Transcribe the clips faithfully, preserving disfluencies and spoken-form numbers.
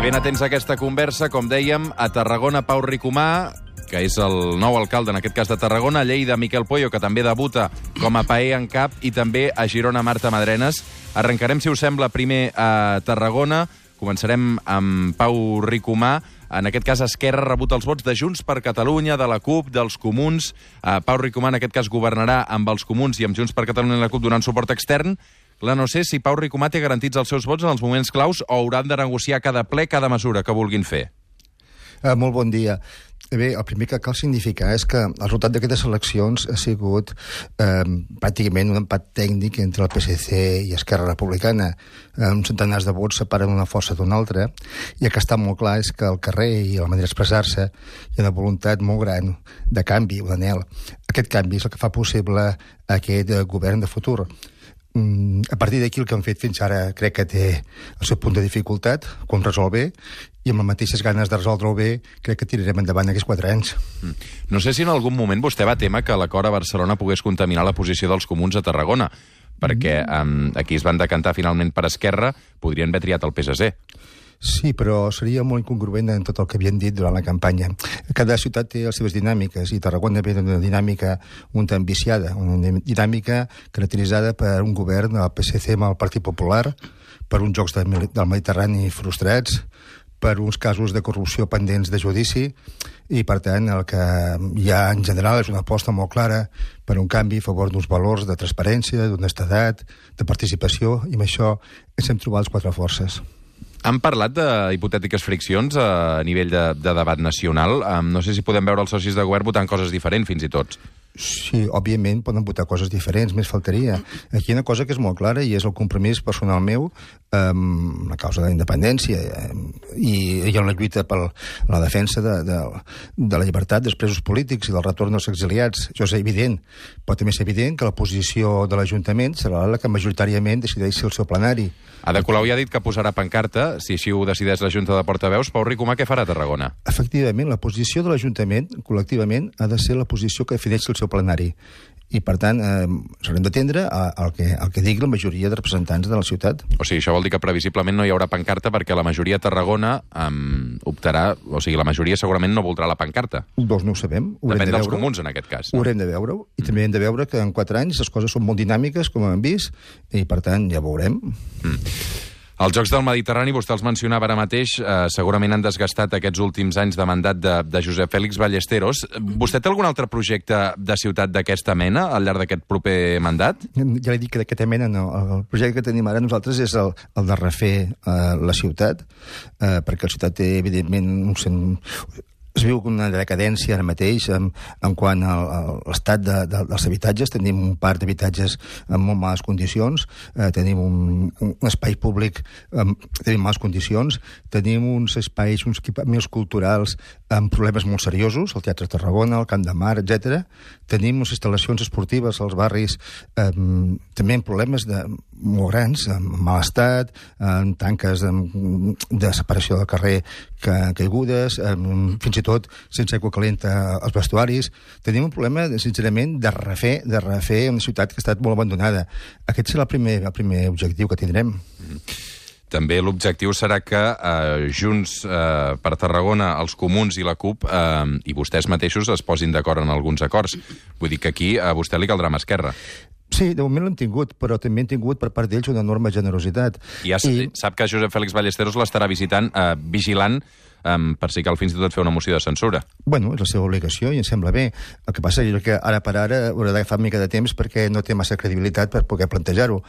ben atents a aquesta conversa, com dèiem, a Tarragona, Pau Ricomà, que és el nou alcalde, en aquest cas de Tarragona, a Lleida, Miquel Pueyo, que també debuta com a paer en cap, i també a Girona, Marta Madrenes. Arrencarem, si us sembla, primer a Tarragona. Començarem amb Pau Ricomà. En aquest cas, Esquerra ha rebut els vots de Junts per Catalunya, de la CUP, dels Comuns. Uh, Pau Ricomà, en aquest cas, governarà amb els Comuns i amb Junts per Catalunya i la CUP donant suport extern. Clar, no sé si Pau Ricomà té garantits els seus vots en els moments claus o hauran de negociar cada ple, cada mesura que vulguin fer. Uh, molt bon dia. Bé, el primer que cal significar és que el resultat d'aquestes eleccions ha sigut eh, pràcticament un empat tècnic entre el P S C i Esquerra Republicana. Eh, uns centenars de vots separen una força d'una altra, i el que està molt clar és que al carrer i a la manera d'expressar-se hi ha una voluntat molt gran de canvi, un anhel. Aquest canvi és el que fa possible aquest eh, govern de futur. A partir d'aquí el que han fet fins ara crec que té el seu punt de dificultat, com resol bé, i amb les mateixes ganes de resoldre-ho bé crec que tirarem endavant aquests quatre anys. No sé si en algun moment vostè va témer que l'acord a Barcelona pogués contaminar la posició dels Comuns a Tarragona, perquè um, aquí es van decantar finalment per Esquerra, podrien haver triat el P S C. Sí, però seria molt incongruent en tot el que havien dit durant la campanya. Cada ciutat té les seves dinàmiques, i Tarragona ve d'una dinàmica un tant viciada, una dinàmica caracteritzada per un govern del P S C amb el Partit Popular, per uns jocs de, del Mediterrani frustrats, per uns casos de corrupció pendents de judici, i per tant el que hi ha en general és una aposta molt clara per un canvi a favor d'uns valors de transparència, d'honestedat, de participació, i amb això ens hem trobat les quatre forces. Han parlat d'hipotètiques friccions a nivell de, de debat nacional. Um, no sé si podem veure els socis de govern votant coses diferents, fins i tot. Sí, òbviament poden votar coses diferents, més faltaria. Aquí hi ha una cosa que és molt clara, i és el compromís personal meu amb la causa de la independència i, i en la lluita per la defensa de, de, de la llibertat dels presos polítics i del retorn dels exiliats. Això és evident, però també és evident que la posició de l'Ajuntament serà la que majoritàriament decideixi el seu plenari. Ada Colau ja ha dit que posarà pancarta, si així ho decideix la Junta de Portaveus. Pau Ricomà, què farà a Tarragona? Efectivament, la posició de l'Ajuntament, col·lectivament, ha de ser la posició que defineixi el seu plenari. I, per tant, eh, s'haurem d'atendre al que, al que digui la majoria de representants de la ciutat. O sigui, això vol dir que previsiblement no hi haurà pancarta perquè la majoria a Tarragona um, optarà... O sigui, la majoria segurament no voldrà la pancarta. Doncs no ho sabem. Ho Depèn de dels veure. Comuns, en aquest cas. No? Ho haurem de veure, i mm. també hem de veure que en quatre anys les coses són molt dinàmiques, com hem vist, i, per tant, ja veurem. Mm. Els Jocs del Mediterrani, vostè els mencionava ara mateix, eh, segurament han desgastat aquests últims anys de mandat de, de Josep Fèlix Ballesteros. Vostè té algun altre projecte de ciutat d'aquesta mena al llarg d'aquest proper mandat? Ja li dic que d'aquesta mena no. El projecte que tenim ara nosaltres és el, el de refer eh, la ciutat, eh, perquè la ciutat té, evidentment, un sent... Es viu una decadència ara mateix en, en quant a, a l'estat de, de, dels habitatges. Tenim un parc d'habitatges en molt males condicions, eh, tenim un, un espai públic en tenim males condicions, tenim uns espais, uns equipaments culturals amb problemes molt seriosos, el Teatre Tarragona, el Camp de Mar, etcètera. Tenim unes instal·lacions esportives als barris eh, també amb problemes de, molt grans, amb mal estat, amb tanques de, de separació del carrer que, caigudes, amb, fins i tot sense aigua calenta als vestuaris. Tenim un problema, sincerament, de refer, de refer una ciutat que ha estat molt abandonada. Aquest serà el primer, el primer objectiu que tindrem. També l'objectiu serà que eh, Junts eh, per Tarragona, els Comuns i la CUP eh, i vostès mateixos es posin d'acord en alguns acords. Vull dir que aquí a vostè li caldrà mà esquerra. Sí, de moment l'hem tingut, però també hem tingut per part d'ells una enorme generositat. I ja I... sap que Josep Fèlix Ballesteros l'estarà visitant, eh, vigilant, um, per si cal fins i tot fer una moció de censura. Bueno, és la seva obligació i em sembla bé. El que passa és que ara per ara haurà d'agafar una mica de temps perquè no té massa credibilitat per poder plantejar-ho.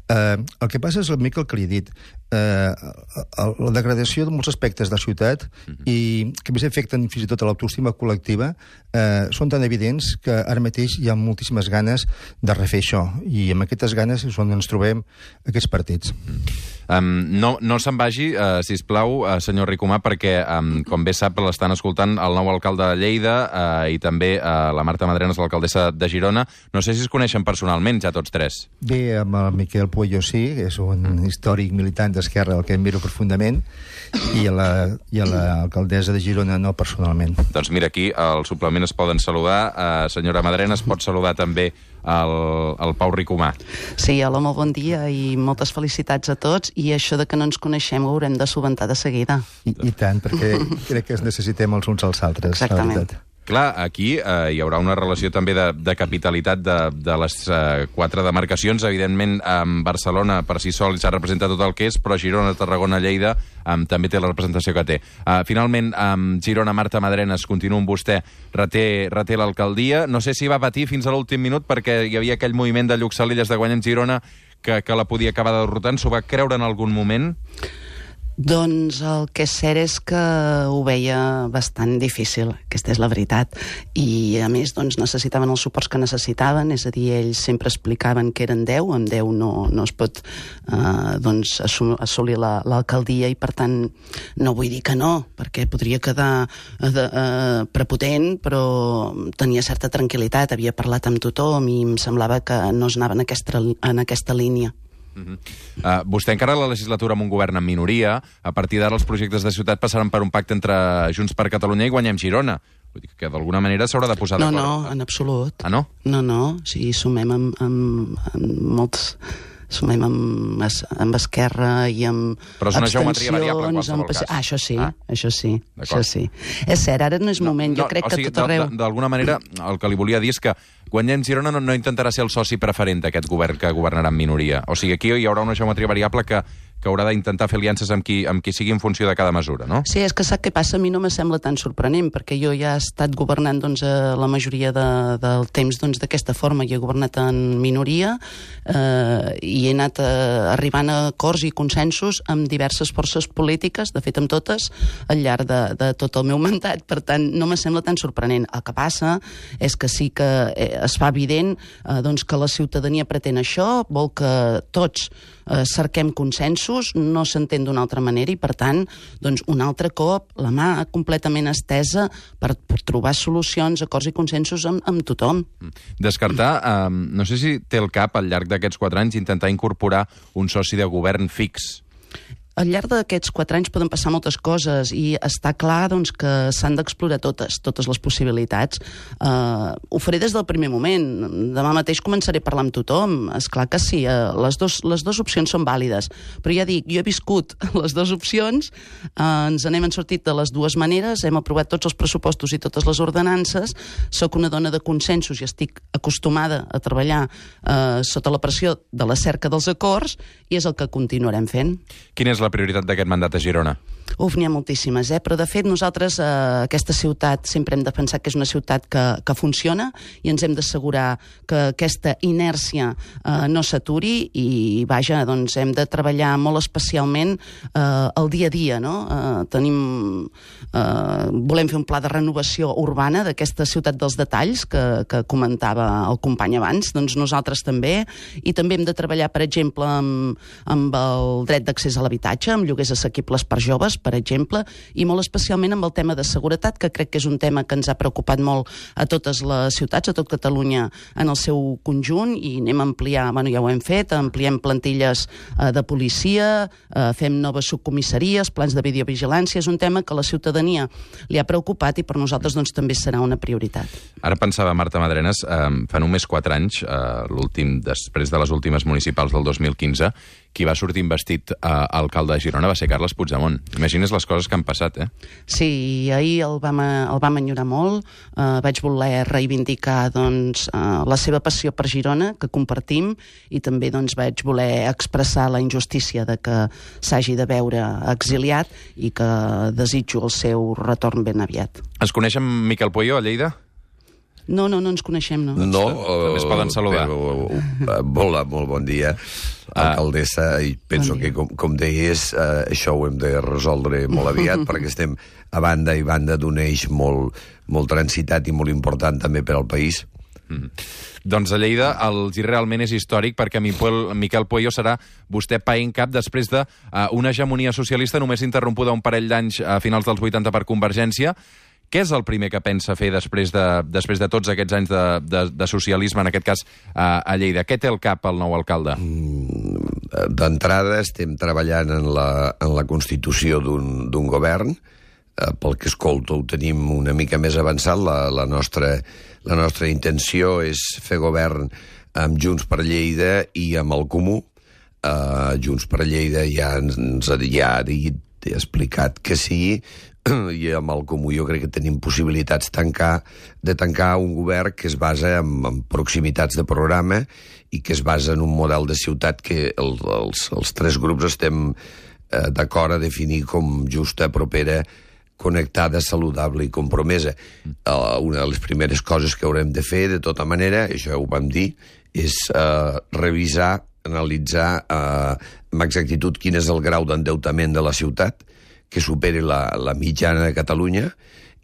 Uh, el que passa és una mica el que li he dit. Uh, la degradació de molts aspectes de la ciutat uh-huh. i que més afecten fins i tot a l'autoestima col·lectiva uh, són tan evidents que ara mateix hi ha moltíssimes ganes de refer això, i amb aquestes ganes és on ens trobem aquests partits. Um, no no se'n vagi, uh, sisplau, uh, senyor Ricomà, perquè, um, com bé sap, l'estan escoltant el nou alcalde de Lleida uh, i també uh, la Marta Madrenes, l'alcaldessa de Girona. No sé si es coneixen personalment, ja tots tres. Bé, amb el Miquel Pueyo sí, és un mm. històric militant d'Esquerra, el que admiro profundament, i a la, i a l'alcaldessa de Girona no personalment. Doncs mira, aquí al suplement es poden saludar. Uh, senyora Madrenes, pot saludar també el, el Pau Ricomà. Sí, hola, molt bon dia i moltes felicitats a tots, i això de que no ens coneixem ho haurem de solventar de seguida. I, i tant, perquè crec que es necessitem els uns als altres. Exactament. Clar, aquí eh, hi haurà una relació també de, de capitalitat de, de les eh, quatre demarcacions. Evidentment, amb Barcelona per si sol s'ha representat tot el que és, però Girona, Tarragona, Lleida eh, també té la representació que té. Eh, finalment, amb Girona, Marta Madrenes, continua amb vostè, reté, reté l'alcaldia. No sé si va patir fins a l'últim minut perquè hi havia aquell moviment de Lluxalelles de guanyar en Girona que, que la podia acabar derrotant. S'ho va creure en algun moment? Doncs el que és cert és que ho veia bastant difícil, aquesta és la veritat, i a més doncs, necessitaven els suports que necessitaven, és a dir, ells sempre explicaven que eren deu, amb deu no, no es pot eh, doncs, assolir l'alcaldia, la, i per tant no vull dir que no, perquè podria quedar eh, eh, prepotent, però tenia certa tranquil·litat, havia parlat amb tothom i em semblava que no es anava en aquesta, en aquesta línia. Uh -huh. uh, vostè encara la legislatura amb un govern en minoria. A partir d'ara els projectes de ciutat passaran per un pacte entre Junts per Catalunya i Guanyem Girona. Vull dir que d'alguna manera s'haurà de posar no, d'acord. No, no, en absolut. Ah, no? No, no, sí, sumem amb, amb, amb molts... sumem amb, amb Esquerra i amb però és una geometria variable en qualsevol amb... cas. Ah, això sí, ah. això sí, això sí. És cert, ara no és moment, no, no, jo crec o sigui, que tot arreu... D'alguna manera, el que li volia dir és que Guanyem Girona no, no intentarà ser el soci preferent d'aquest govern que governarà en minoria. O sigui, aquí hi haurà una geometria variable que, que haurà d'intentar fer aliances amb qui, amb qui sigui en funció de cada mesura, no? Sí, és que sap què passa? A mi no me sembla tan sorprenent, perquè jo ja he estat governant doncs, la majoria de, del temps d'aquesta doncs, forma, i he governat en minoria eh, i he anat eh, arribant a acords i consensos amb diverses forces polítiques, de fet amb totes, al llarg de, de tot el meu mandat. Per tant, no me sembla tan sorprenent. El que passa és que sí que eh, es fa evident eh, doncs, que la ciutadania pretén això, vol que tots eh, cerquem consensos, no s'entén d'una altra manera, i per tant, doncs, un altre cop, la mà completament estesa per, per trobar solucions, acords i consensos amb, amb tothom. Descartar, eh, no sé si té el cap al llarg d'aquests quatre anys intentar incorporar un soci de govern fix. Al llarg d'aquests quatre anys poden passar moltes coses i està clar doncs, que s'han d'explorar totes, totes les possibilitats. Uh, ho faré des del primer moment. Demà mateix començaré a parlar amb tothom. És clar que sí, uh, les, dos, les dues opcions són vàlides. Però ja dic, jo he viscut les dues opcions, uh, ens n'hem sortit de les dues maneres, hem aprovat tots els pressupostos i totes les ordenances, soc una dona de consensos i estic acostumada a treballar uh, sota la pressió de la cerca dels acords, i és el que continuarem fent. Quina és la prioritat d'aquest mandat a Girona? Uf, n'hi ha moltíssimes, eh? Però de fet nosaltres eh, aquesta ciutat sempre hem de pensar que és una ciutat que, que funciona, i ens hem d'assegurar que aquesta inèrcia eh, no s'aturi, i vaja, doncs hem de treballar molt especialment eh, el dia a dia, no? Eh, tenim, eh, volem fer un pla de renovació urbana d'aquesta ciutat dels detalls que, que comentava el company abans, doncs nosaltres també, i també hem de treballar, per exemple, amb, amb el dret d'accés a l'habitatge, amb lloguers assequibles per joves, per exemple, i molt especialment amb el tema de seguretat, que crec que és un tema que ens ha preocupat molt a totes les ciutats, a tot Catalunya en el seu conjunt, i anem a ampliar, bueno, ja ho hem fet, ampliem plantilles eh, de policia, eh, fem noves subcomissaries, plans de videovigilància, és un tema que la ciutadania li ha preocupat i per nosaltres doncs, també serà una prioritat. Ara pensava, Marta Madrenes, eh, fa només quatre anys, eh, l'últim, després de les últimes municipals del dos mil quinze, qui va sortir investit eh, alcalde de Girona va ser Carles Puigdemont. Imagines les coses que han passat, eh? Sí, ahir el vam, el vam enyorar molt. Uh, vaig voler reivindicar doncs, uh, la seva passió per Girona, que compartim, i també doncs, vaig voler expressar la injustícia de que s'hagi de veure exiliat i que desitjo el seu retorn ben aviat. Es coneix amb Miquel Pueyo a Lleida? No, no, no ens coneixem, no. No, també es poden saludar. Però, uh, hola, molt bon dia, alcaldessa, i penso bon que, com, com deies, uh, això ho hem de resoldre molt aviat, perquè estem a banda i banda d'un eix molt, molt transitat i molt important també per al país. Mm. Doncs a Lleida el gir realment és històric, perquè Miquel Pueyo serà vostè paent cap després d'una hegemonia socialista només interrompuda un parell d'anys a finals dels vuitanta per Convergència. Què és el primer que pensa fer després de, després de tots aquests anys de, de, de socialisme, en aquest cas a, a Lleida? Què té al cap el nou alcalde? D'entrada estem treballant en la, en la constitució d'un govern. eh, pel que escolto, ho tenim una mica més avançat. La, la, nostra, la nostra intenció és fer govern amb Junts per Lleida i amb el Comú. Uh, Junts per Lleida ja ens ha, ja ha dit, ha explicat que sí, i amb el Comú jo crec que tenim possibilitats tancar, de tancar un govern que es basa en, en proximitats de programa i que es basa en un model de ciutat que el, els, els tres grups estem eh, d'acord a definir com justa, propera, connectada, saludable i compromesa. Uh, una de les primeres coses que haurem de fer, de tota manera, això ho vam dir, és uh, revisar, analitzar uh, amb exactitud quin és el grau d'endeutament de la ciutat, que superi la, la mitjana de Catalunya,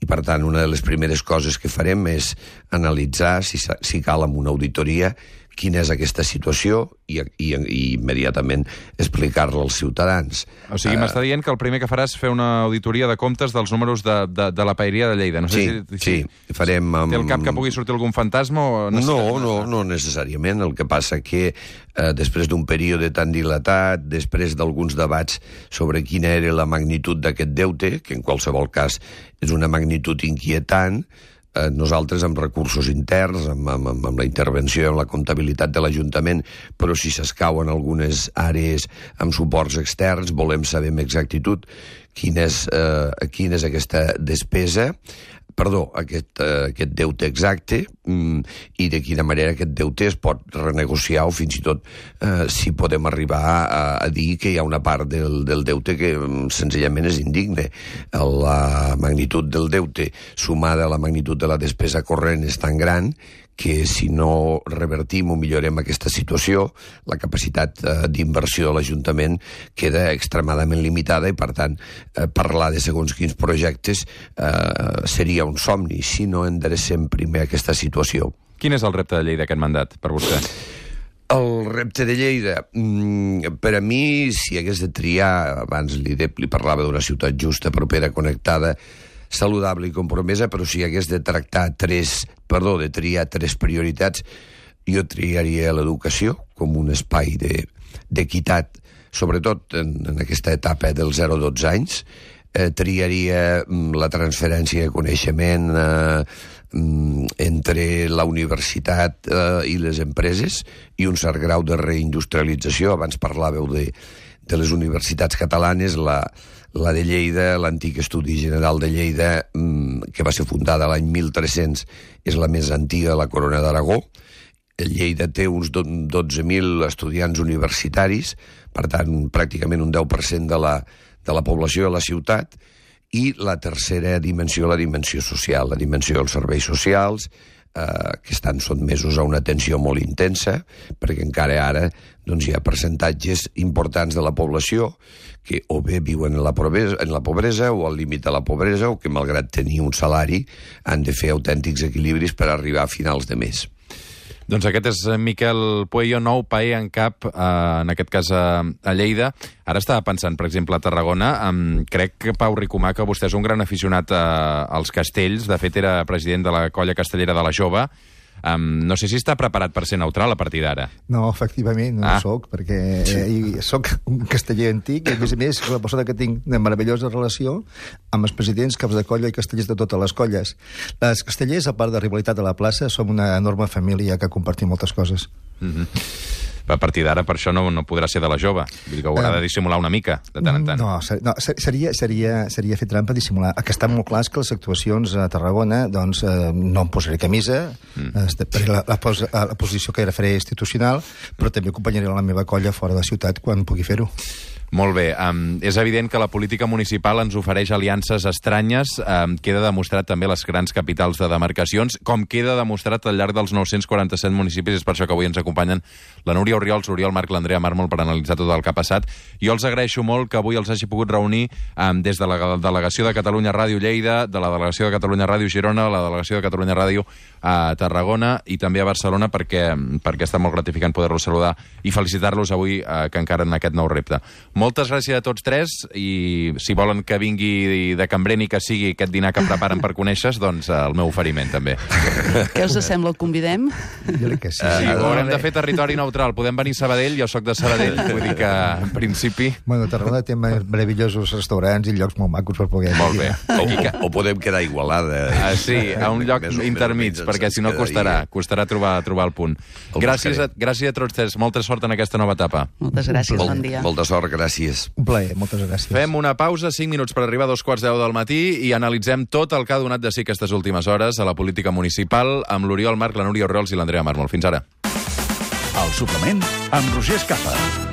i per tant una de les primeres coses que farem és analitzar, si, si cal amb una auditoria, quina és aquesta situació i, i, i immediatament explicar-la als ciutadans. O sigui, uh, m'està dient que el primer que faràs és fer una auditoria de comptes dels números de, de, de la paeria de Lleida. No sé sí, si, si, sí, farem... Amb... Té el cap que pugui sortir algun fantasma? O no, no, no, no necessàriament. El que passa que eh, després d'un període tan dilatat, després d'alguns debats sobre quina era la magnitud d'aquest deute, que en qualsevol cas és una magnitud inquietant, Eh, nosaltres amb recursos interns, amb, amb, amb la intervenció, amb la comptabilitat de l'Ajuntament, però si s'escauen algunes àrees amb suports externs, volem saber amb exactitud quina és, eh, quina és aquesta despesa, perdó, aquest, eh, aquest deute exacte, mm, i de quina manera aquest deute es pot renegociar o fins i tot eh, si podem arribar a, a dir que hi ha una part del, del deute que mm, senzillament és indigne. La magnitud del deute sumada a la magnitud de la despesa corrent és tan gran que si no revertim o millorem aquesta situació, la capacitat eh, d'inversió de l'Ajuntament queda extremadament limitada i, per tant, eh, parlar de segons quins projectes eh, seria un somni si no enderecem primer aquesta situació. Quin és el repte de Lleida aquest mandat, per vostè? El repte de Lleida, mm, per a mi, si hagués de triar, abans li, de, li parlava d'una ciutat justa, propera, connectada, saludable i compromesa, però si hagués de tractar tres, perdó, de triar tres prioritats, jo triaria l'educació com un espai d'equitat, de, sobretot en, en aquesta etapa dels zero a dotze anys, eh, triaria la transferència de coneixement eh, entre la universitat eh, i les empreses i un cert grau de reindustrialització. Abans parlàveu de, de les universitats catalanes, la La de Lleida, l'antic Estudi General de Lleida, que va ser fundada l'any mil tres-cents, és la més antiga de la Corona d'Aragó. Lleida té uns dotze mil estudiants universitaris, per tant, pràcticament un deu per cent de la, de la població de la ciutat, i la tercera dimensió, la dimensió social, la dimensió dels serveis socials, eh, que estan sotmesos a una atenció molt intensa, perquè encara ara doncs, hi ha percentatges importants de la població que o bé viuen en la, pobresa, en la pobresa o al límit de la pobresa o que, malgrat tenir un salari, han de fer autèntics equilibris per arribar a finals de mes. Doncs aquest és Miquel Pueyo, nou paer en cap, eh, en aquest cas a, a Lleida. Ara estava pensant, per exemple, a Tarragona. Um, crec que Pau Ricomà, que vostè és un gran aficionat a, als castells. De fet, era president de la colla castellera de la Jove. Um, no sé si està preparat per ser neutral a partir d'ara. No, efectivament, no ah. soc, perquè eh, soc un casteller antic i, a més a més, la persona que tinc una meravellosa relació amb els presidents, caps de colla i castellers de totes les colles. Les castellers, a part de rivalitat a la plaça, som una enorme família que compartim moltes coses. Mm-hmm. A partir d'ara, per això no, no podrà ser de la Jove. Vull dir que haurà de dissimular una mica, de tant en tant. No, ser, no seria, seria, seria fer trampa dissimular. El que està molt clar és que les actuacions a Tarragona, doncs, eh, no em posaré camisa, mm. eh, per la, la, pos, la posició que era faré institucional, però també acompanyaré la meva colla fora de la ciutat quan pugui fer-ho. Molt bé. Um, és evident que la política municipal ens ofereix aliances estranyes. Um, queda demostrat també les grans capitals de demarcacions, com queda demostrat al llarg dels nou-cents quaranta-set municipis. És per això que avui ens acompanyen la Núria Oriols, l'Oriol Marc, l'Andrea Mármol, per analitzar tot el que ha passat. Jo els agraeixo molt que avui els hagi pogut reunir um, des de la delegació de Catalunya Ràdio Lleida, de la delegació de Catalunya Ràdio Girona, la delegació de Catalunya Ràdio a Tarragona i també a Barcelona, perquè, perquè està molt gratificant poder-los saludar i felicitar-los avui, eh, que encara en aquest nou repte. Molt moltes gràcies a tots tres, i si volen que vingui de Cambreni que sigui aquest dinar que preparen per conèixer, doncs el meu oferiment, també. Què us sembla, el convidem? Jo crec que sí. Sí, Uh, ho haurem de fer territori neutral. Podem venir a Sabadell, jo sóc de Sabadell, vull dir que, en principi... Bueno, Tarragona té meravellosos restaurants i llocs molt macos per poder... Molt bé. O, o, o podem quedar a Igualada. Ah, sí, a un lloc Més o- intermig, més o menys perquè ens si no costarà, quedaria. costarà trobar, trobar el punt. El Gràcies a, buscarem. gràcies a tots tres, molta sort en aquesta nova etapa. Moltes gràcies, Molt, bon dia. molta sort, gràcies. Un plaer, moltes gràcies. Fem una pausa, cinc minuts per arribar a dos quarts deu del matí, i analitzem tot el que ha donat de si aquestes últimes hores a la política municipal amb l'Oriol Marc, la Núria Orriols i l'Andrea Mármol. Fins ara. El suplement amb Roger Escapa.